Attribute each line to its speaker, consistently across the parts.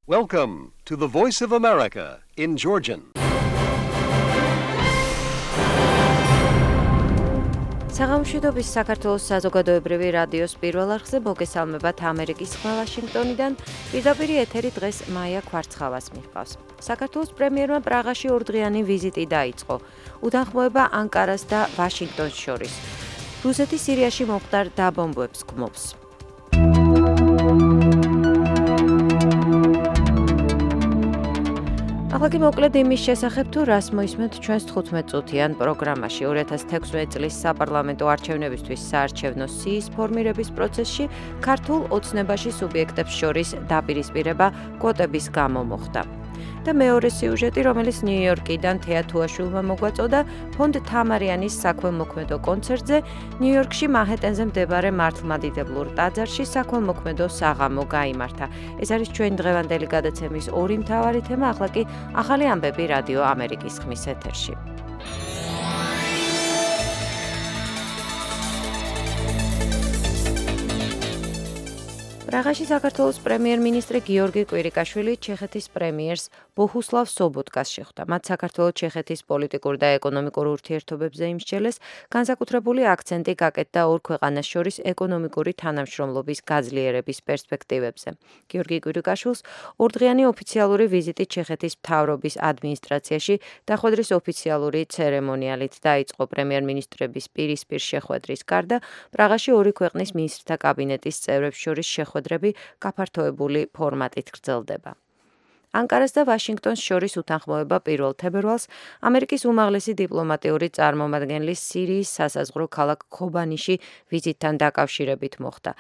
Speaker 1: Welcome to the Voice of America in Georgian.
Speaker 2: საღამოშვიდობის საქართველოს საზოგადოებრივი რადიოს პირველ არხზე მოგესალმებათ ამერიკის ხმა ვაშინგტონიდან. პირდაპირ ეთერი დღეს მაია ქვარცხავას მიჰყავს. საქართველოს პრემიერმა პრაღაში ორდღიანი ვიზიტი დაიწყო. უთანხმოება ანკარას და ვაშინგტონს შორის. რუსეთი სირიაში მომხდარ დაბომბვებს გმობს. ახლა კი მოკლედ იმის შესახებ თუ რას მოისმენთ ჩვენს 15-წუთიან პროგრამაში 2016 წლის საპარლამენტო არჩევნებისთვის საარჩევნო სიის ფორმირების პროცესში ქართულ ოცნებაში სუბიექტებს შორის დაპირისპირება კვოტების გამო მოხდა. და მეორე სიუჟეტი, რომელიც ნიუ-იორკიდან თეა თუაშვილმა მოგვაწოდა ფონდ თამარიანის საქველმოქმედო კონცერტზე ნიუ-იორკში მანჰეტენზე მდებარე მართლმადიდებლურ ტაძარში საქველმოქმედო საღამო გაიმართა. ეს არის ჩვენი დღევანდელი გადაცემის ორი მთავარი თემა, ახლა კი ახალი ამბები რადიო ამერიკის ხმის ეთერში. პრაღაში საქართველოს პრემიერ-მინისტრი გიორგი კვირიკაშვილი ჩეხეთის პრემიერს ბოჰუსლავ სობოტკას შეხვდა. მათ საქართველოს-ჩეხეთის პოლიტიკურ და ეკონომიკურ ურთიერთობებზე იმსჯელეს, განსაკუთრებული აქცენტი გაკეთდა ორ ქვეყანას შორის ეკონომიკური თანამშრომლობის გაძლიერების პერსპექტივებზე. გიორგი კვირიკაშვილს ორდღიანი ოფიციალური ვიზიტი ჩეხეთის მთავრობის ადმინისტრაციაში დახვედრის ოფიციალური ცერემონიალით დაიწყო. პრემიერ-მინისტრების პირისპირ შეხვედრის გარდა პრაღაში ორი ქვეყნის მინისტრთა კაბინეტის წევრებს შორის შეხვედრები გაფართოებული ფორმატით გრძელდება. ანკარას და ვაშინგტონს შორის უთანხმოება 1 თებერვალს ამერიკის უმაღლესი დიპლომატიური წარმომადგენლის სირიის სასაზღვრო ქალაქ ქობანიში ვიზიტთან დაკავშირებით მოხდა.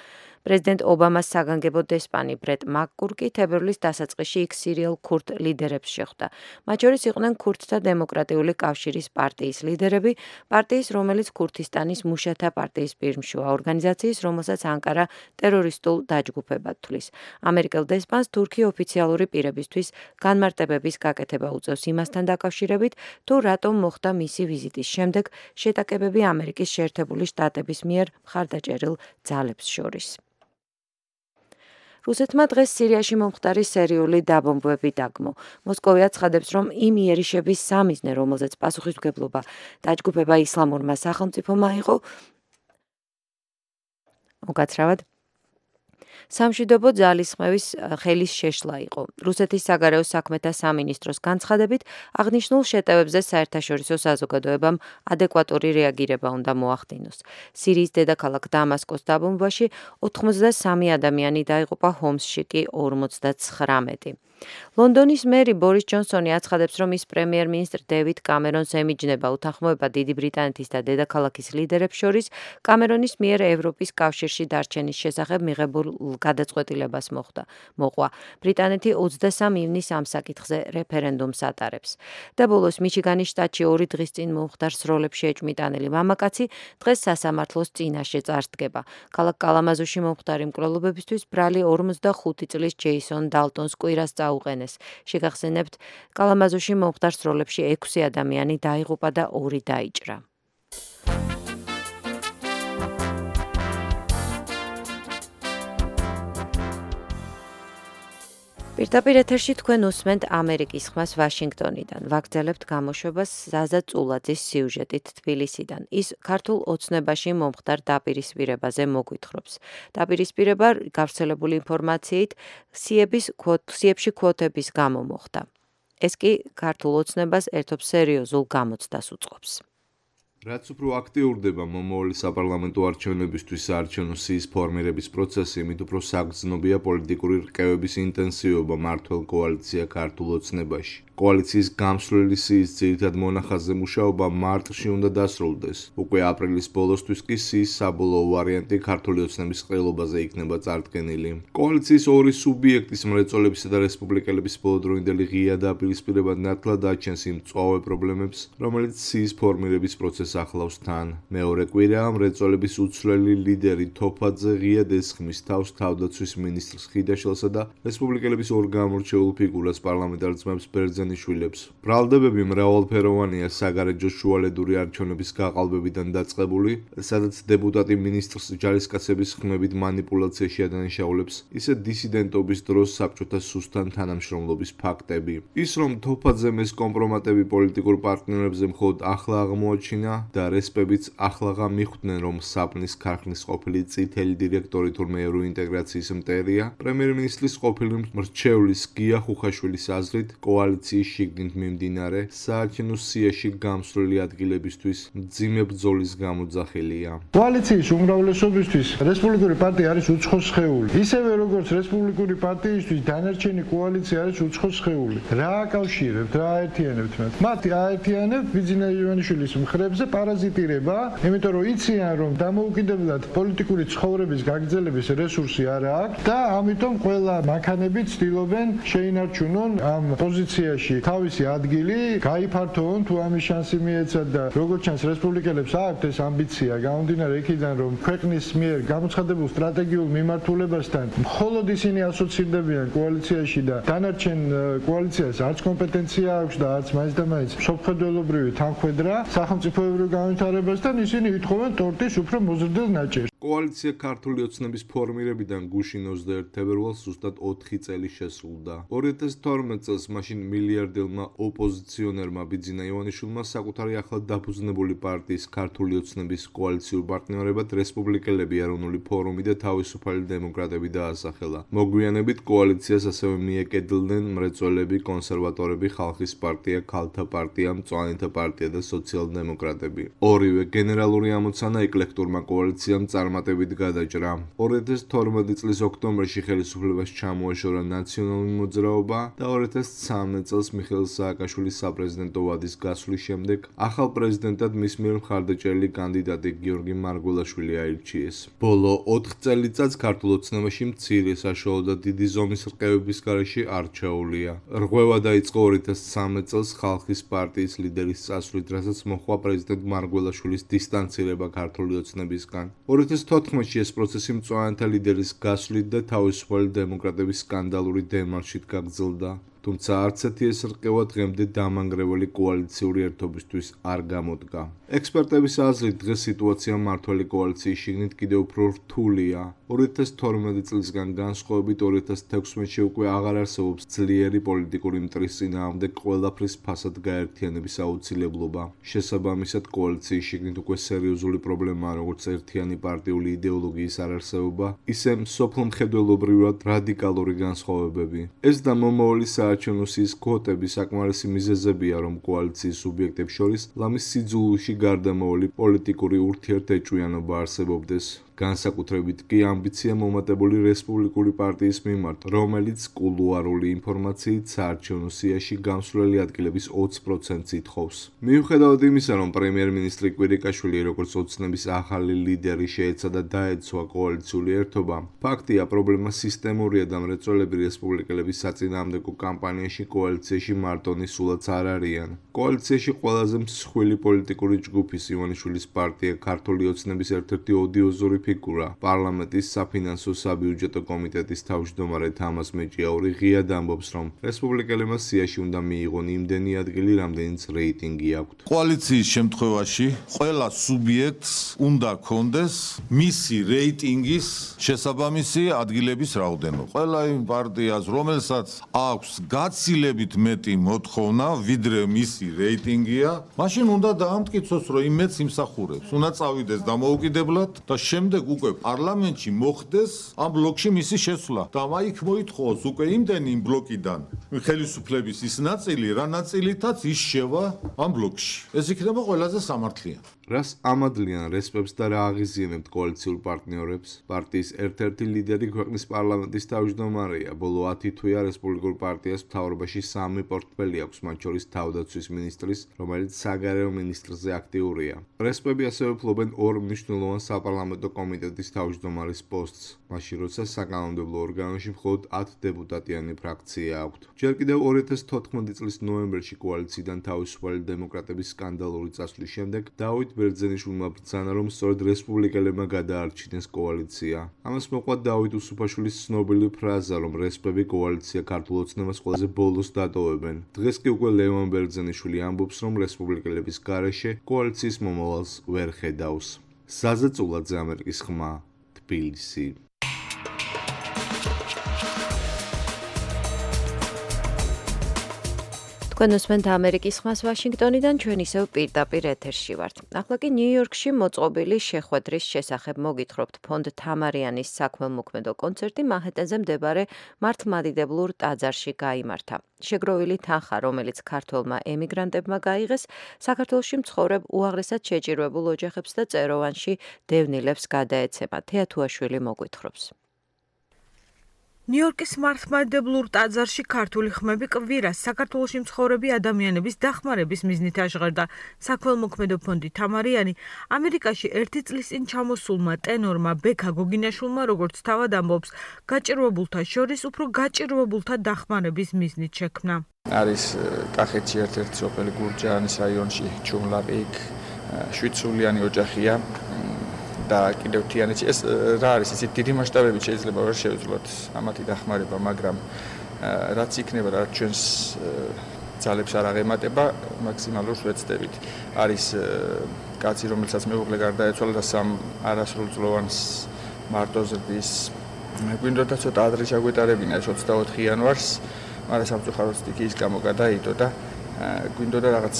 Speaker 2: პრეზიდენტ ობამას საგანგებო დესპანი ბრეტ მაკკურკი თებერვლის დასაწყისში იქ სირიელ ქურთ ლიდერებს შეხვდა. მათ შორის იყვნენ ქურთთა დემოკრატიული კავშირის პარტიის ლიდერები, პარტიის, რომელიც ქურთისტანის მუშათა პარტიის პირმშოა, ორგანიზაციის, რომელსაც ანკარა ტერორისტულ დაჯგუფებად თვლის. ამერიკელ დესპანს თურქი ოფიციალური პირებისთვის განმარტებების გაკეთება უწევს იმასთან დაკავშირებით, თუ რატომ მოხდა მისი ვიზიტის შემდეგ შეტაკებები ამერიკის შეერთებული შტატების მიერ მხარდაჭერილ ძალებს შორის. რუსეთმა დღეს სირიაში მომხდარი სერიული დაბომბვები დაგმო. მოსკოვი აცხადებს, რომ იმ იერიშების სამიზნე, რომელზეც პასუხისმგებლობა დაჯგუფება ისლამურმა სახელმწიფომ აიღო, უკაცრავად სამშვიდობო ძალისხმევის ხელის შეშლა იყო. რუსეთის საგარეო საქმეთა სამინისტროს განცხადებით, აღნიშნულ შეტევებზე საერთაშორისო საზოგადოებამ ადეკვატური რეაგირება უნდა მოახდინოს. სირიის დედაქალაქ დამასკოს დაბომბვაში 83 ადამიანი დაიღუპა, ჰომსში კი 59. ლონდონის მერი ბორის ჯონსონი აცხადებს, რომ ის პრემიერ-მინისტრ დევიდ კამერონს ემიჯნება უთანხმოება დიდი ბრიტანეთის და დედაქალაქის ლიდერებს შორის კამერონის მიერ ევროპის კავშირში დარჩენის შესახებ მიღებულ გადაწყვეტილებას მოყვა. ბრიტანეთი 23 ივნისს ამ საკითხზე რეფერენდუმს ატარებს. და ბოლოს მიჩიგანის შტატში 2 დღის წინ მომხდარ სროლებში ეჭვმიტანილი მამაკაცი დღეს სასამართლოს წინაშე წარსდგება. ქალაქ კალამაზოში მომხდარი მკვლელობებისთვის ბრალი 45 წლის ჯეისონ დალტონს კვირას უყენეს. შეგახსენებთ, კალამაზოში მომხდარ სროლებში 6 ადამიანი დაიღუპა და 2 დაიჭრა. პირდაპირ ეთერში თქვენ უსმენთ ამერიკის ხმას ვაშინგტონიდან. ვაგრძელებთ გამოშვებას ზაზა წულაძის სიუჟეტით თბილისიდან. ის ქართულ ოცნებაში მომხდარ დაპირისპირებაზე მოგვითხრობს. დაპირისპირება გავრცელებული ინფორმაციით სიებში კვოტების გამო მოხდა. ეს კი ქართულ ოცნებას ერთობ სერიოზულ გამოცდას უწყობს.
Speaker 3: რაც უფრო აქტიურდება მომავალი საპარლამენტო არჩევნებისთვის საარჩევნო სიის ფორმირების პროცესი, იმით უფრო საგრძნობია პოლიტიკური რყევების ინტენსივობა მმართველ კოალიცია ქართულ ოცნებაში. კოალიციის გამსვლელი სიის ძირითად მონახაზზე მუშაობა მარტში უნდა დასრულდეს. უკვე აპრილის ბოლოსთვის კი სიის საბოლოო ვარიანტი ქართული ოცნების ყრილობაზე იქნება წარდგენილი. კოალიციის ორი სუბიექტის მრეწველებისა და რესპუბლიკელების ბოლოდროინდელი ღია დაპირისპირება ნათლად აჩენს იმ მწვავე პრობლემებს, რომელიც სიის ფორმირების პროცესს კოალიციას ახლავს თან. მეორე კვირაა მრეწველების უცვლელი ლიდერი თოფაძე ღიად ესხმის თავს თავდაცვის მინისტრს ხიდაშელსა და რესპუბლიკელების ორ გამორჩეულ ფიგურას პარლამენტარ ძმებს ბერძენიშვილებს. ბრალდებები მრავალფეროვანია საგარეჯო შუალედური არჩევნების გაყალბებიდან დაწყებული, სადაც დეპუტატი მინისტრს ჯარისკაცების ხმებით манипуляციაში ადანაშაულებს, ისე დისიდენტობის დროს საბჭოთა სუსტან თანამშრომლობის ფაქტები. ის რომ თოფაძემ ეს კომპრომატები პოლიტიკურ პარტნიორებზე მხოლოდ ახლა აღმოაჩინა და რესპებიც ახლაღა მიხვდნენ, რომ საპნის ქარხნის ყოფილი წითელი დირექტორი თურმე ევროინტეგრაციის მტერია, პრემიერ-მინისტრის ყოფილი მრჩევლის გია ხუხაშვილის აზრით, კოალიციის შიგნით მიმდინარე საარჩევნო სიაში გამსვლელი ადგილებისთვის მძიმე ბრძოლის გამოძახილია.
Speaker 4: კოალიციის უმრავლესობისთვის რესპუბლიკური პარტია არის უცხო სხეული. ისევე როგორც რესპუბლიკური პარტიისთვის დანარჩენი კოალიცია არის უცხო სხეული. რა აკავშირებთ, რა აერთიანებთ მათ? მათ აერთიანებთ ბიძინა ივანიშვილის მხრებზე პარაზიტირება, იმიტომ რომ იციან, რომ დამოუკიდებლად პოლიტიკური ცხოვრების გაგრძელების რესურსი არ აქვს და ამიტომ ყველა მანქანები ცდილობენ შეინარჩუნონ ამ პოზიციაში თავისი ადგილი, გაიფართოონ თუ ამის შანსი მიეცათ და როგორც ჩანს რესპუბლიკელებს აქვთ ეს ამბიცია, გამომდინარე იქიდან, რომ ქვეყნის მიერ გამოცხადებულ სტრატეგიულ მიმართულებასთან მხოლოდ ისინი ასოცირდებიან კოალიციაში და დანარჩენ კოალიციას არც კომპეტენცია აქვს და არც მაინც და მაინც სოფხედველობრივი თანხმედრა სახელმწიფოებრივ განვითარებასთან, ისინი ითხოვენ ტორტის უფრო მოზრდილ ნაჭერს.
Speaker 3: კოალიცია ქართული ოცნების ფორმირებიდან გუშინ 21 თებერვალს ზუსტად 4 წელი შესრულდა. 2012 წელს მაშინ მილიარდელმა ოპოზიციონერმა ბიძინა ივანიშვილმა საკუთარი ახლად დაფუძნებული პარტიის ქართული ოცნების კოალიციურ პარტნიორებად რესპუბლიკელები, ეროვნული ფორუმი და თავისუფალი დემოკრატები დაასახელა. მოგვიანებით კოალიციას ასევე მიეკედლდნენ მრეწველები, კონსერვატორები, ხალხის პარტია, ქალთა პარტია, მწვანეთა პარტია და სოციალ-დემოკრატები. ორივე გენერალური ამოცანა ეკლექტურმა კოალიციამ წარმატებით გადაჭრა. 2012 წლის ოქტომბერში ხელისუფლებას ჩამოაშორა ნაციონალური მოძრაობა და 2013 წელს მიხეილ სააკაშვილის საპრეზიდენტო ვადის გასვლის შემდეგ ახალ პრეზიდენტად მის მიერ მხარდაჭერილი კანდიდატი გიორგი მარგველაშვილი აირჩიეს. ბოლო 4 წელიწადს ქართულ ოცნებაში მცირე, საშუალო და დიდი ზომის რყევების გარეშე არჩეულია. რღვევა დაიწყო 2013 წელს ხალხის პარტიის ლიდერის წასვლით, რასაც მოჰყვა პრეზიდენტ მარგველაშვილის დისტანცირება ქართული ოცნებისგან. 2014-ში ეს პროცესი მწვანეთა ლიდერის გასვლით და თავისუფალი დემოკრატების სკანდალური დემარშით გაგრძელდა. თუმცა არც ერთი ეს რყევა დღემდე დამანგრეველი კოალიციური ერთობისთვის არ გამოდგა. ექსპერტების აზრით დღეს სიტუაცია მმართველი კოალიციის შიგნით კიდევ უფრო რთულია. 2012 წლისგან განსხვავებით 2016-ში უკვე აღარ არსებობს ძლიერი პოლიტიკური მტრის წინააღმდეგ ყველაფრის ფასად გაერთიანების აუცილებლობა. შესაბამისად, კოალიციის შიგნით უკვე სერიოზული პრობლემაა როგორც ერთიანი პარტიული იდეოლოგიის არარსებობა, ისე მსოფლმხედველობრივად რადიკალური განსხვავებები. ეს და მომავალი საარჩევნო სიის კვოტები საკმარისი მიზეზებია, რომ კოალიციის სუბიექტებს შორის ლამის სიძულვილში გარდამავალი პოლიტიკური ურთიერთეჭვიანობა არსებობდეს. განსაკუთრებით კი ამბიცია მომატებული რესპუბლიკური პარტიის მიმართ, რომელიც კულუარული ინფორმაციით საარჩევნო სიაში გამსვლელი ადგილების 20%-ს ითხოვს. მიუხედავად იმისა, რომ პრემიერ-მინისტრი კვირიკაშვილი როგორც ოცნების ახალი ლიდერი შეეცადა დაეცვა კოალიციური ერთობა, ფაქტია, პრობლემა სისტემურია და მრეწველები რესპუბლიკელების საწინააღმდეგო კამპანიაში კოალიციაში მარტონი სულაც არ არიან. კოალიციაში ყველაზე მსხვილი პოლიტიკური ჯგუფის ივანიშვილის პარტია ქართული ოცნების ერთ-ერთი ოდიოზური ფიგურა, პარლამენტის საფინანსო საბიუჯეტო კომიტეტის თავმჯდომარე თამაზ მეჭიაური ღიად ამბობს, რომ რესპუბლიკელებმა სიაში უნდა მიიღონ იმდენი ადგილი, რამდენიც რეიტინგი აქვთ.
Speaker 5: კოალიციის შემთხვევაში ყველა სუბიექტს უნდა კონდეს მისი რეიტინგის შესაბამისი ადგილების რაოდენობა. ყველა იმ პარტიას, რომელსაც აქვს გაცილებით მეტი მოთხოვნა, ვიდრე მისი რეიტინგია, მაშინ უნდა დაამტკიცოს, რომ იმედს იმსახურებს. უნდა წავიდეს დამოუკიდებლად და შემდეგ უკვე პარლამენტში მოხდეს ამ ბლოკში მისი შესვლა და მაიქ მოითხოვოს უკვე იმდენი იმ ბლოკიდან ხელისუფლების ის ნაწილი, რა ნაწილითაც ის შევა ამ ბლოკში. ეს იქნება ყველაზე სამართლიანი.
Speaker 3: რას ამადლიან რესპებს და რა აღიზიანებთ კოალიციურ პარტნიორებს? პარტიის ერთ-ერთი ლიდერი ქვეყნის პარლამენტის თავმჯდომარეა. ბოლო 10 თვეა რესპუბლიკურ პარტიას მთავრობაში 3 პორტფელი აქვს, მათ შორის თავდაცვის მინისტრის, რომელიც საგარეო მინისტრზე აქტიურია. რესპები ასევე ფლობენ ორ მნიშვნელოვან საპარლამენტო კომიტეტის თავმჯდომარის პოსტს, მაშინ როცა საკანონმდებლო ორგანოში მხოლოდ 10 დეპუტატიანი ფრაქცია აქვთ. ჯერ კიდევ 2014 წლის ნოემბერში კოალიციიდან თავისუფალი დემოკრატების სკანდალური წასვლის შემდეგ დავით ბერძენიშვილმა ბრძანა, რომ სწორედ რესპუბლიკელებმა გადაარჩინეს კოალიცია. ამას მოყვა დავით უსუფაშვილის ცნობილი ფრაზა, რომ რესპები კოალიცია ქართულ ოცნებას ყველაზე ბოლოს დატოვებენ. დღეს კი უკვე ლევან ბერძენიშვილი ამბობს, რომ რესპუბლიკელების გარეშე კოალიციის მომავალს ვერ ხედავს. ზაზა წულაძე, ამერიკის ხმა, თბილისი.
Speaker 2: თქვენ უსმენთ ამერიკის ხმას ვაშინგტონიდან, ჩვენ ისევ პირდაპირ ეთერში ვართ. ახლა კი ნიუ-იორკში მოწყობილი შეხვედრის შესახებ მოგითხრობთ. ფონდ თამარიანის საქმელმოქმედო კონცერტი მანჰეტენზე მდებარე მართლმადიდებლურ ტაძარში გაიმართა. შეგროვილი თანხა, რომელიც ქართველმა ემიგრანტებმა გაიღეს, საქართველოში მცხოვრებ უაღრესად შეჭირვებულ ოჯახებს და წეროვანში დევნილებს გადაეცემა. თეათუაშვილი მოგვითხრობს.
Speaker 6: ნიუ-იორკის მართლმადიდებლურ ტაძარში ქართული ხმები კვირას საქართველოში მცხოვრები ადამიანების დახმარების მიზნით აშღერდა. საქმელმოქმედო ფონდი თამარიანი ამერიკაში 1 წლის წინ ჩამოსულმა ტენორმა ბექა გოგინაშვილმა, როგორც თავად ამბობს, გაჭირვებულთა შორის უფრო გაჭირვებულთა დახმარების მიზნით შექმნა.
Speaker 7: არის კახეთში ერთ-ერთი სოფელი გურჯაანის რაიონში ჩუმლაყი, 7 სულიანი ოჯახია. და კიდევ თიანეთში ეს რა არის ისეთი დიდი მასშტაბებით შეიძლება ვერ შევძლოთ ამათი დახმარება, მაგრამ რაც იქნება, რაც ჩვენს ძალებს არ აღემატება, მაქსიმალურს ვეცდებით. არის კაცი, რომელსაც მეუღლე გარდაეცვალა და 3 არასრულწლოვანს მარტო ზრდის. გვინდოდა ცოტა ადრე ჩაგვეტარებინა 24 იანვარს, მაგრამ სამწუხაროდ სტიქიის გამო გადაიდო და გვინდოდა რაღაც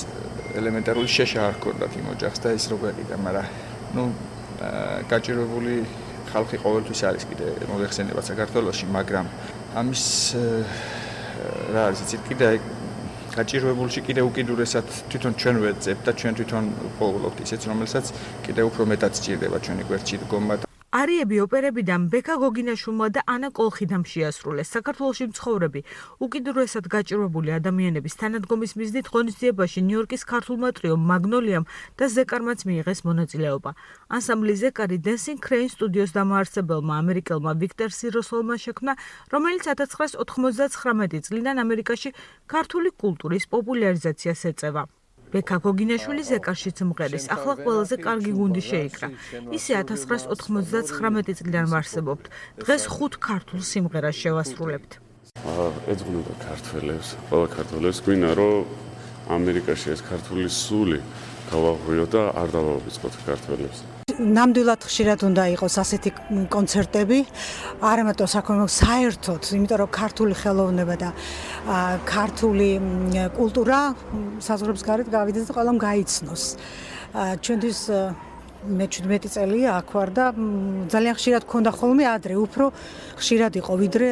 Speaker 7: ელემენტარული შეშა არ ჰქონდათ იმ ოჯახს და ის რო გვეყიდა, მაგრამ გაჭირვებული ხალხი ყოველთვის არის კიდე მოიხსენება საქართველოში, მაგრამ ამის რა არის იცით კიდე გაჭირვებულში კიდე უკიდურესად თვითონ ჩვენ ვეძებთ და ჩვენ თვითონ პოულობთ ისეც, რომელსაც კიდე უფრო მეტად სჭირდება ჩვენი გვერდში დგომა.
Speaker 6: არიები ოპერებიდან ბექა გოგინაშვილმა და ანა კოლხიდამ შეასრულეს. საქართველოში მცხოვრები უკიდურესად გაჭირვებული ადამიანების თანადგომის მიზნით ღონისძიებაში ნიუ-იორკის ქართულმა ტრიომ მაგნოლიამ და ზეკარმაც მიიღეს მონაწილეობა. ანსამბლი ზეკარი Dancing Crane სტუდიოს დამაარსებელმა ამერიკელმა ვიქტორ სიროსოლმა შექმნა, რომელიც 1999 წლიდან ამერიკაში ქართული კულტურის პოპულარიზაციას ეწევა. ბექა გოგინაშვილი ზეკარშიც მღერის, ახლა ყველაზე კარგი გუნდი შეიკრა. ისე 1999 წლიდან ვარსებობთ. დღეს 5 ქართულ სიმღერას შევასრულებთ.
Speaker 8: ეძღვნოდა ქართველებს, ყველა ქართველებს გვინდა, რომ ამერიკაში ეს ქართული სული გავაღვიოთ და არ დავავიწყოთ ქართველებს.
Speaker 9: ნამდვილად ხშირად უნდა იყოს ასეთი კონცერტები, არა მარტო საქმემოქმედო, საერთოდ, იმიტომ რომ ქართული ხელოვნება და ქართული კულტურა საზღვრებს გარეთ გავიდეს და ყველამ გაიცნოს. ჩვენთვის მე 17 წელია აქ ვარ და ძალიან ხშირად გქონდა ხოლმე ადრე, უფრო ხშირად იყო ვიდრე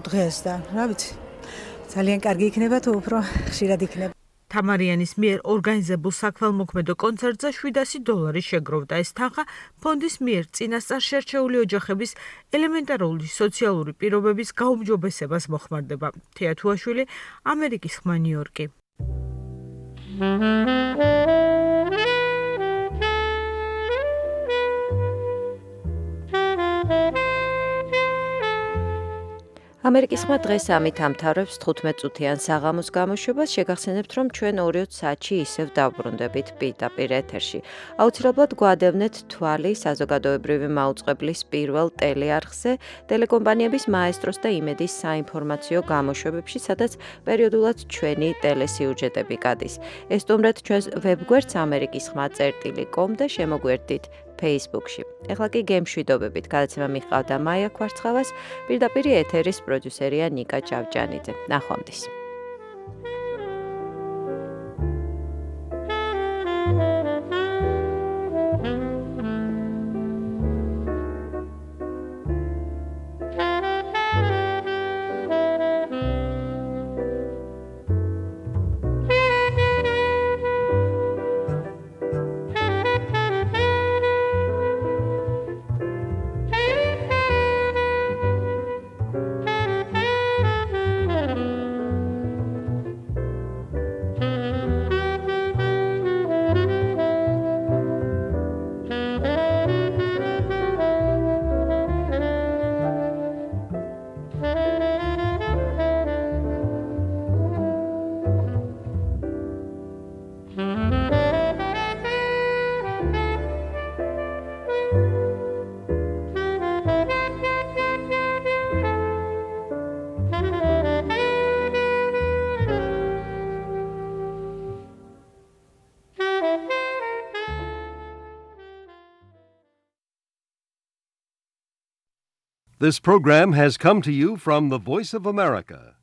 Speaker 9: დღეს და რა ვიცი. ძალიან კარგი იქნება თუ უფრო ხშირად იქნება.
Speaker 6: თამარიანის მიერ ორგანიზებულ საქმელმოქმედო კონცერტზე $700 შეგროვდა. ეს თანხა ფონდის მიერ წინასწარ შერჩეული ოჯახების ელემენტარული სოციალური პირობების გაუმჯობესებას მოხმარდება. თეათუაშვილი, ამერიკის ხმა, ნიუ-იორკი.
Speaker 2: ამერიკის ხმა დღეს ამით ამთავრებს 15 წუთიან საღამოს გამოშვებას. შეგახსენებთ, რომ ჩვენ 2 საათში ისევ დავბრუნდებით პირდაპირ ეთერში. აუცილებლად გვადევნეთ თვალი საზოგადოებრივი მაუწყებლის პირველ ტელეარხზე, ტელეკომპანიების მაესტროს და იმედის საინფორმაციო გამოშვებებში, სადაც პერიოდულად ჩვენი ტელესიუჟეტები გადის. ესტუმრეთ ჩვენს ვებგვერდს amerikisxma.com და შემოგვერდით Facebook-ში. ეხლა კი გემშვიდობებით. გადაცემა მიჰყავდა მაია ქვარცხავას, პირდაპირ ეთერის პროდიუსერია ნიკა ჭავჭანიძე. ნახვამდის.
Speaker 1: This program has come to you from the Voice of America,